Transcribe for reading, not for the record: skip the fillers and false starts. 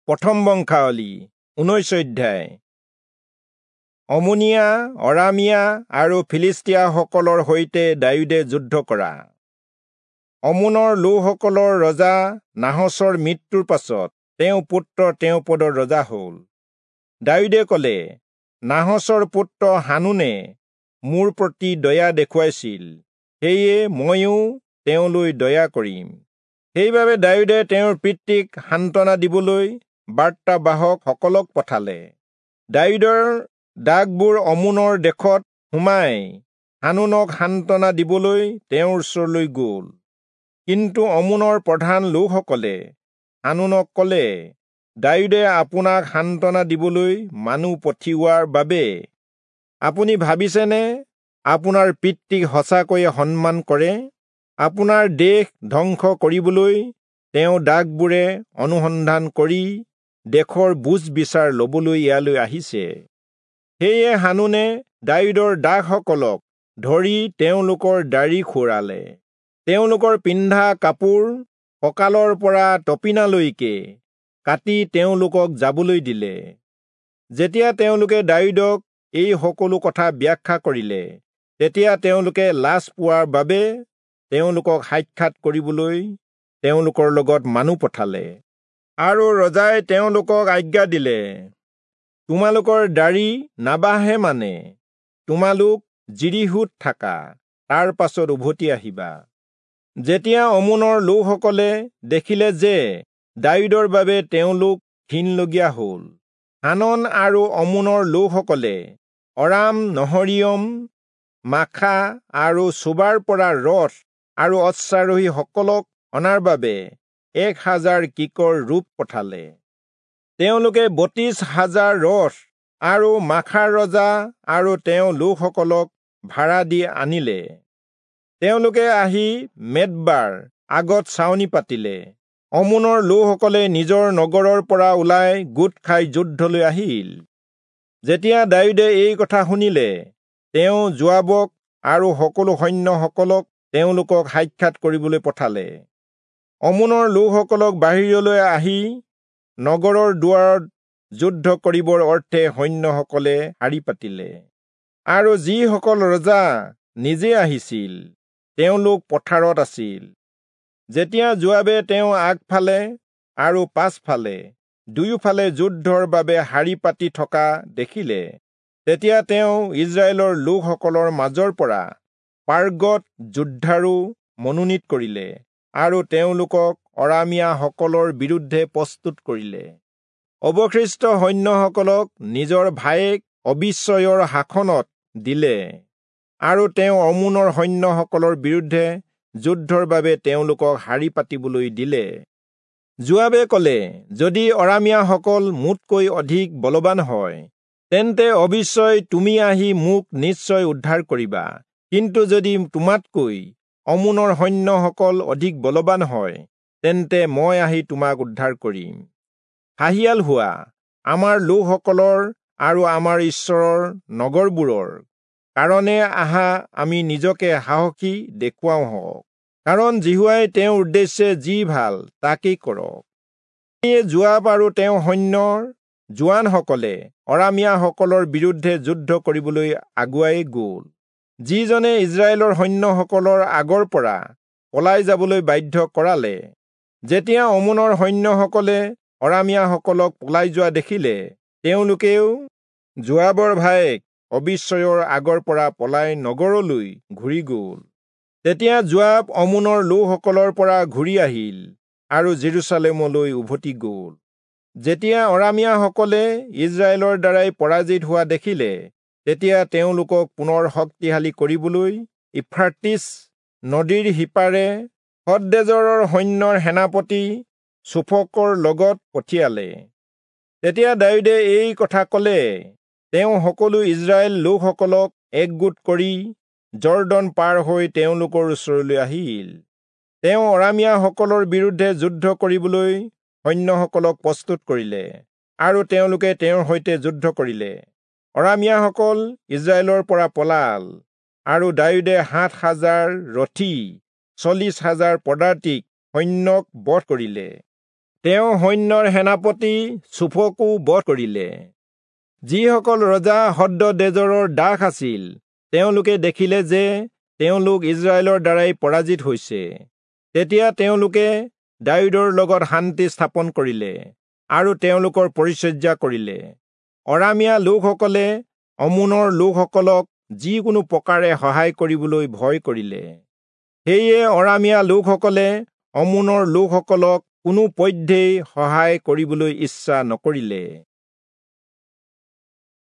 প্ৰথম বংশাৱলী 19 অধ্যায়। অমোনীয়া, অৰামীয়া আৰু ফিলিষ্টীয়াসকলৰ সৈতে দায়ূদে যুদ্ধ কৰা। অমোনৰ লোকসকলৰ ৰজা নাহচৰ মৃত্যুৰ পাছত তেওঁ পুত্ৰ তেওঁ পদৰ ৰজা হ'ল। দায়ূদে ক'লে, নাহচৰ পুত্ৰ হানুনে মোৰ প্ৰতি দয়া দেখুৱাইছিল, সেয়ে ময়ো তেওঁলৈ দয়া কৰিম। সেইবাবে দায়ূদে তেওঁৰ পিতৃক সান্তনা দিবলৈ বাৰ্তাবাহকসকলক পঠালে। দায়ূদৰ দাসবোৰ অমোনৰ দেশত সোমাই হানুনক সান্তনা দিবলৈ তেওঁৰ ওচৰলৈ গ'ল। কিন্তু অমোনৰ প্ৰধান লোকসকলে হানুনক ক'লে, দায়ূদে আপোনাক সান্তনা দিবলৈ মানুহ পঠিওৱাৰ বাবে আপুনি ভাবিছেনে আপোনাৰ পিতৃক সঁচাকৈয়ে সন্মান কৰে? আপোনাৰ দেশ ধ্বংস কৰিবলৈ তেওঁ দাসবোৰে অনুসন্ধান কৰি দেশৰ বুজ বিচাৰ ল'বলৈ ইয়ালৈ আহিছে। সেয়ে হানুনে দায়ূদৰ দাসসকলক ধৰি তেওঁলোকৰ দাড়ি খুৰালে, তেওঁলোকৰ পিন্ধা কাপোৰ কঁকালৰ পৰা তপিনালৈকে কাটি তেওঁলোকক যাবলৈ দিলে। যেতিয়া তেওঁলোকে দায়ূদক এই সকলো কথা ব্যাখ্যা কৰিলে, তেতিয়া তেওঁলোকে লাজ পোৱাৰ বাবে তেওঁলোকক সাক্ষাৎ কৰিবলৈ তেওঁলোকৰ লগত মানুহ পঠালে। আৰু ৰজাই তেওঁলোকক আজ্ঞা দিলে, তোমালোকৰ দাড়ি নাবাঢ়ে মানে তোমালোক যিৰীহোত থাকা, তাৰ পাছত উভতি আহিবা। যেতিয়া অমোনৰ লোকসকলে দেখিলে যে দায়ূদৰ বাবে তেওঁলোক ঘিণলগীয়া হ'ল, হানন আৰু অমোনৰ লোকসকলে অৰাম নহৰিয়ম, মাখা আৰু চোবাৰ পৰা ৰথ আৰু অশ্বাৰোহীসকলক অনাৰ বাবে 1000 কিকৰ ৰূপ পঠালে। তেওঁলোকে 32,000 ৰথ আৰু মাখাৰ ৰজা আৰু তেওঁ লোকসকলক ভাড়া দি আনিলে। তেওঁলোকে আহি মেদবাৰ আগত ছাউনি পাতিলে। অমোনৰ লোকসকলে নিজৰ নগৰৰ পৰা ওলাই গোট খাই যুদ্ধলৈ আহিল। যেতিয়া দায়ূদে এই কথা শুনিলে, তেওঁ যোৱাবক আৰু সকলো সৈন্যসকলক তেওঁলোকক সাক্ষাৎ কৰিবলৈ পঠালে। অমোনৰ লোকসকলক বাহিৰলৈ আহি নগৰৰ দুৱাৰত যুদ্ধ কৰিবৰ অৰ্থে সৈন্যসকলে শাৰী পাতিলে। আৰু যিসকল ৰজা নিজে আহিছিল, তেওঁলোক পথাৰত আছিল। যেতিয়া যোৱাবে তেওঁ আগফালে আৰু পাছফালে দুয়োফালে যুদ্ধৰ বাবে শাৰী পাতি থকা দেখিলে, তেতিয়া তেওঁ ইজৰাইলৰ লোকসকলৰ মাজৰ পৰা পাৰ্গত যোদ্ধাৰো মনোনীত কৰিলে আৰু তেওঁলোকক অৰামীয়াসকলৰ বিৰুদ্ধে প্ৰস্তুত কৰিলে। অৱশিষ্ট সৈন্যসকলক নিজৰ ভায়েক অবিচয়ৰ শাসনত দিলে আৰু তেওঁ অমোনৰ সৈন্যসকলৰ বিৰুদ্ধে যুদ্ধৰ বাবে তেওঁলোকক শাৰী পাতিবলৈ দিলে। যোৱাবে ক'লে, যদি অৰামীয়াসকল মোতকৈ অধিক বলৱান হয়, তেন্তে অবিচয় তুমি আহি মোক নিশ্চয় উদ্ধাৰ কৰিবা। কিন্তু যদি তোমাতকৈ অমোনৰ সৈন্যসকল অধিক বলৱান হয়, তেন্তে মই আহি তোমাক উদ্ধাৰ কৰিম। সাহিয়াল হোৱা, আমাৰ লোকসকলৰ আৰু আমাৰ ঈশ্বৰৰ নগৰবোৰৰ কাৰণে আহা, আমি নিজকে সাহসী দেখুৱাওঁ হওক, কাৰণ যিহোৱাই তেওঁৰ উদ্দেশ্যে যি ভাল তাকেই কৰক। সেয়ে যোৱাব আৰু তেওঁৰ সৈন্যৰ জোৱানসকলে অৰামীয়াসকলৰ বিৰুদ্ধে যুদ্ধ কৰিবলৈ আগুৱাই গ'ল। যিজনে ইজৰাইলৰ সৈন্যসকলৰ আগৰ পৰা পলাই যাবলৈ বাধ্য কৰালে। যেতিয়া অমোনৰ সৈন্যসকলে অৰামীয়াসকলক পলাই যোৱা দেখিলে, তেওঁলোকেও যোৱাবৰ ভায়েক অবিচয়ৰ আগৰ পৰা পলাই নগৰলৈ ঘূৰি গ'ল। তেতিয়া যোৱাব অমোনৰ লোকসকলৰ পৰা ঘূৰি আহিল আৰু জেৰুচালেমলৈ উভতি গ'ল। যেতিয়া অৰামীয়াসকলে ইজৰাইলৰ দ্বাৰাই পৰাজিত হোৱা দেখিলে, তেতিয়া তেওঁলোকক পুনৰ শক্তিশালী কৰিবলৈ ইফ্ৰাটিছ নদীৰ সিপাৰে হদদেজৰৰ সৈন্যৰ সেনাপতি চোফকৰ লগত পঠিয়ালে। তেতিয়া দায়ূদে এই কথা ক'লে, তেওঁ সকলো ইজৰাইল লোকসকলক একগোট কৰি যৰ্দন পাৰ হৈ তেওঁলোকৰ ওচৰলৈ আহিল। তেওঁ অৰামীয়াসকলৰ বিৰুদ্ধে যুদ্ধ কৰিবলৈ সৈন্যসকলক প্ৰস্তুত কৰিলে আৰু তেওঁলোকে তেওঁৰ সৈতে যুদ্ধ কৰিলে। অৰামীয়াসকল ইজৰাইলৰ পৰা পলাল আৰু দায়ূদে 7000 ৰথী, 40,000 পদাতিক সৈন্যক বধ কৰিলে। তেওঁ সৈন্যৰ সেনাপতি চোফকো বধ কৰিলে। যিসকল ৰজা হদদেজৰৰ দাস আছিল, তেওঁলোকে দেখিলে যে তেওঁলোক ইজৰাইলৰ দ্বাৰাই পৰাজিত হৈছে। তেতিয়া তেওঁলোকে দায়ূদৰ লগত শান্তি স্থাপন কৰিলে আৰু তেওঁলোকৰ পৰিচৰ্যা কৰিলে। অৰামীয়া লোকসকলে অম্মোনৰ লোকসকলক যিকোনো প্ৰকাৰে সহায় কৰিবলৈ ভয় কৰিলে। সেয়ে অৰামীয়া লোকসকলে অম্মোনৰ লোকসকলক কোনো পধ্যেই সহায় কৰিবলৈ ইচ্ছা নকৰিলে।